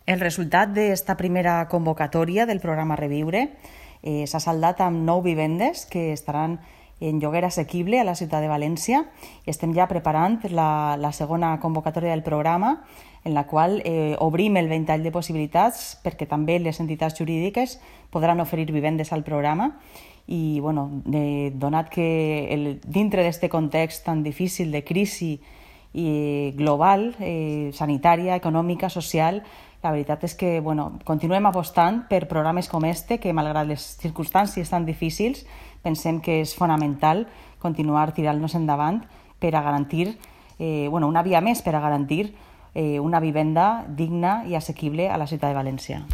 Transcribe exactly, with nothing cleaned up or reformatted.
El resultat d'esta primera convocatòria del programa Reviure eh, s'ha saldat amb nou vivendes que estaran en lloguer assequible a la ciutat de València. Estem ja preparant la, la segona convocatòria del programa, en la qual eh, obrim el ventall de possibilitats perquè també les entitats jurídiques podran oferir vivendes al programa. I, bueno, eh, donat que el, dintre d'aquest context tan difícil de crisi i global, eh, sanitària, econòmica, social, la veritat és que bueno, continuem apostant per programes com este, que malgrat les circumstàncies tan difícils, pensem que és fonamental continuar tirant-nos endavant per a garantir, eh, bueno, una via més per a garantir eh, una vivenda digna i assequible a la ciutat de València.